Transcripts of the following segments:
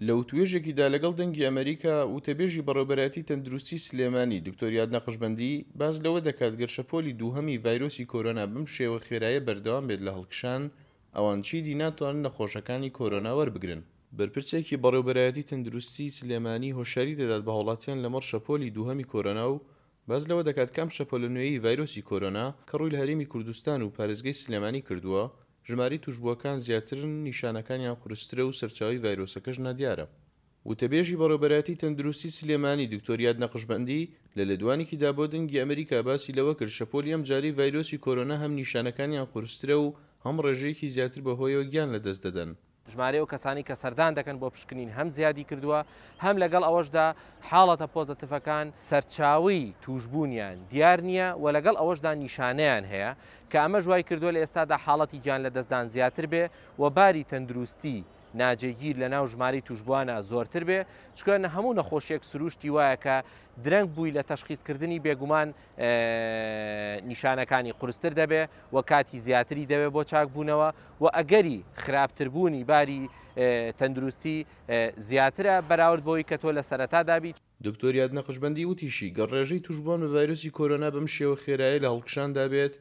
لە وتوێژێکیدا لەگەڵ دەنگی ئەمەریکا، وتەبێژی بەڕێوبەرایەتی تەندروستی سلێمانی دکتۆر یاد نەقشبەندی باس لەوە دەکات گەر شەپۆلی دووهەمی ڤایرۆسی کۆرۆنا بەم شێوە خێرایە بەردەوام بێت لە هەڵکشان ئەوان چیدی ناتوانن نەخۆشەکانی کۆرۆنا وەربگرن. بەرپرسێکی بەڕێوبەرایەتی تەندروستی سلێمانی هۆشیاری دەدات بە هاوڵاتیان لەمەڕ شەپۆلی دووهەمی کۆرۆنا و باس لەوە دەکات کە ئەم شەپۆلە نوێیەی ڤایرۆسی کۆرۆنا کە ڕووی لە هەرێمی کوردستان و پارێزگای سلێمانی کردووە ژمارەی تووشبووەکان زیاترن، نیشانەکانیان قورسترە و سەرچاوەی ڤایرۆسەکەش نادیارە. وتەبێژی بەڕێوبەرایەتی تەندروستی سلێمانی دکتۆر یاد نەقشبەندی لە لێدوانێکیدا بۆ دەنگی ئەمریکا باسی لەوە کرد شەپۆلی ئەمجارەی ڤایرۆسی کۆرۆنا هەم نیشانەکانیان قورسترە و هەم ڕێژەیەکی زیاتر بەهۆیەوە گیان لەدەست دەدەن. ژمارەی ئەو کەسانەی کە سەردان دەکەن بۆ پشکنین هەم زیادی کردووە، هەم لەگەڵ ئەوەشدا حاڵەتە پۆزەتیڤەکان سەرچاوەی تووشبوونیان دیار نییە و لەگەڵ ئەوەشدا نیشانەیان هەیە کە ئەمەش وای کردووە لە ئێستادا حاڵەتی گیانلەدەستدان زیاتر بێ و باری تەندروستی ناجێگیر لە ناو ژمارەی تووشبووانا زۆرتر بێ، چونکە هەموو نەخۆشیەک سرووشتی وایە کە درەنگ بووی لە تەشخیسکردنی بێگومان نیشانەکانی قورستر دەبێ و کاتی زیاتری دەوێ بۆ چاکبوونەوە و ئەگەری خراپتربوونی باری تەندروستی زیاترە بەراورد بەوەی کە تۆ لە سەرەتادا بیت. دکتۆر یاد نەقشبەندی وتیشی، گەر ڕێژەی تووشبووان بە ڤایرۆسی کۆرۆنا بەم شێوە خێرایە لە هەڵکشاندا بێت،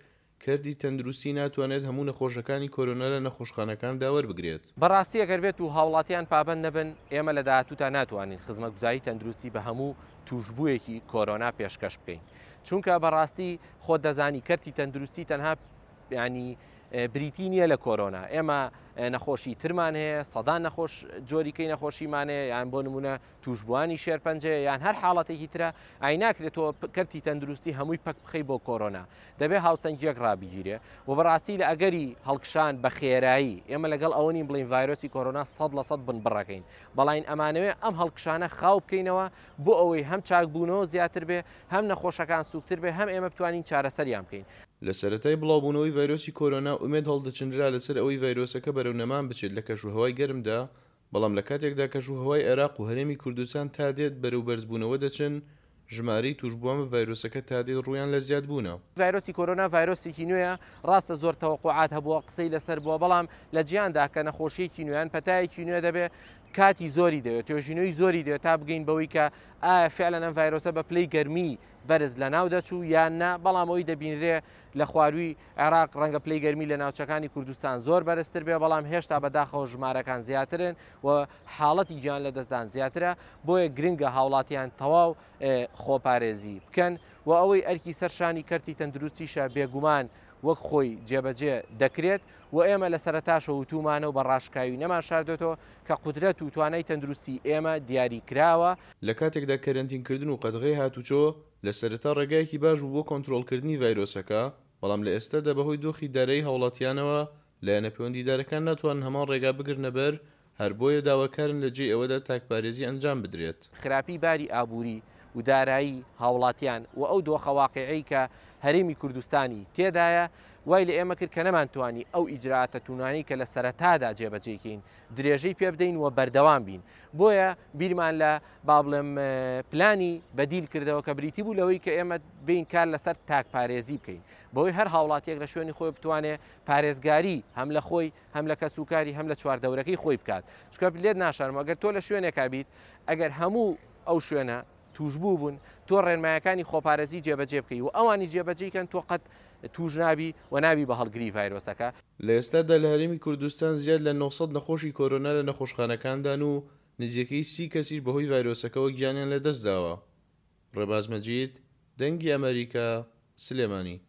کەرتی تەندروستی ناتوانێت هەموو نەخۆشەکانی کۆرۆنا لە نەخۆشخانەکاندا وەربگرێت. بەڕاستی ئەگەر بێت و هاوڵاتیان پابەند نەبن، ئێمە لە داهاتووتا ناتوانین خزمەتگوزاری تەندروستی بە هەموو تووشبوویەکی کۆرۆنا پێشکەش بکەین. چونکە بەڕاستی خۆت دەزانی کەرتی تەندروستی تەنها ینی بریتی نییە لە کۆرۆنا. ئێمە نەخۆشی ترمان هەیە، سەدان نەخۆش جۆریکەی نەخۆشیمان هەیە، یان بۆ نمونە تووشبووانی شێرپەنجەیە یان هەر حاڵەتێکی ترە، ئای ناکرێت تۆ کەرتی تەندروستی هەمووی پەک بخەی بۆ کۆرۆنا، دەبێت هاوسەنگیەک ڕابگیرێ و بەڕاستی لە ئەگەری هەڵکشان بە خێرایی ئێمە لەگەڵ ئەوە نین بڵین ڤایرۆسی کۆرۆنا 100% بنبڕەکەین، بەڵین ئەمانەوێ ئەم هەڵکشانە خاو بکەینەوە بۆ ئەوەی هەم چاکبوونەوە زیاتر بێ، هەم نەخۆشەکان سوکتر بێ، هەم ئێمە بتوانین چارەسەریان بکەین. لە سەرەتای بڵاوبوونەوەی ڤایرۆسی کۆرۆنا ئومێد هەڵدەچنرا لەسەر ئەوەی ڤایرۆسەکە بەرەو نەمان بچێت لە کەشوهەوای گەرمدا، بەڵام لە کاتێکدا کەشوهەوای عێراق و هەرێمی کوردستان تا دێت بەرەو بەرزبوونەوە دەچن، ژمارەی تووشبووان بە ڤایرۆسەکە تا دێت ڕوویان لە زیادبوونە. ڤایرۆسی کۆرۆنا ڤایرۆسێکی نوێیە، ڕاستە زۆر تەوەقوعات هەبووە، قسەی لەسەر بووە، بەڵام لە جیهاندا کە نەخۆشییەکی نوێ یان پەتایەکی نوێ دەبێت، کاتی زۆری دەوێت، توێژینەوەی زۆری دەوێت تا بگەین بەوەی کە ئایا فعلەن ئەم ڤایرۆسە بە پلەی گەرمی بەرز لەناو دەچوو یان نا، بەڵام ئەوەی دەبینرێ لە خوارووی عێراق ڕەنگە پلەی گەرمی لە ناوچەکانی کوردستان زۆر بەرزتر بێ، بەڵام هێشتا بەداخەوە ژمارەکان زیاترن و حاڵەتی گیان لەدەستدان زیاترە، بۆیە گرنگە هاوڵاتیان تەواو خۆپارێزی بکەن و ئەوەی ئەرکی سەر شانی کەرتی تەندروستیشە بێگومان وەک خۆی جێبەجێ دەکرێت و ئێمە لە سەرەتاشەوە وتوومانە و بە ڕاشکاوی نەمانشاردۆتەوە کە قودرەت و توانای تەندروستی ئێمە دیاری کراوە. لە کاتێکدا کەرەنتینکردن و قەدغەی هاتوچۆ لە سەرەتا ڕێگایەکی باش بوو بۆ کۆنترۆڵکردنی ڤایرۆسەکە، بەڵام لە ئێستادا بەهۆی دۆخی دارایی هاوڵاتیانەوە لایەنە پەیوەندیدارەکان ناتوانن هەمان ڕێگا بگرنە بەر، هەر بۆیە داواکارن لە جێی ئەوەدا تاکپارێزی ئەنجام بدرێت. خراپی باری ئابووری و دارایی هاوڵاتیان و ئەو دۆخە واقیعیەی کە هەرێمی کوردستانی تێدایە وای لە ئێمە کرد کە نەمانتوانی ئەو ئیجرائاتە توونانەی کە لە سەرەتادا جێبەجێی کەین درێژەی پێ بدەین و بەردەوام بین. بۆیە بیرمان لە با بڵێم پلانی بەدیل کردەوە کە بریتی بوو لەوەی کە ئێمە بین کار لەسەر تاکپارێزی بکەین بەوەی هەر هاوڵاتیەک لە شوێنی خۆی بتوانێ پارێزگاری هەم لە خۆی هەم لە کەسوکاری هەم لە چواردەورەکەی خۆی بکات. چونکە لێت ناشارم ئەگەر تۆ لە شوێنێکا بیت ئەگەر هەموو ئەو شوێنە توشبوو بوون تۆ ڕێنمایەکانی خۆپارێزی جێبەجێ بکەی و ئەوانی جێبەجێی کەن تۆ قەت توش نابی و نابی بە هەڵگری ڤایرۆسەکە. لە ئێستادا لە هەرێمی کوردستان زیاد لە 900 نەخۆشی کۆرۆنا لە نەخۆشخانەکاندان و نزیکەی 30 کەسیش بەهۆی ڤایرۆسەکەوە گیانیان لەدەستداوە. ڕێباز مەجید، دەنگی ئەمەریکا، سلێمانی.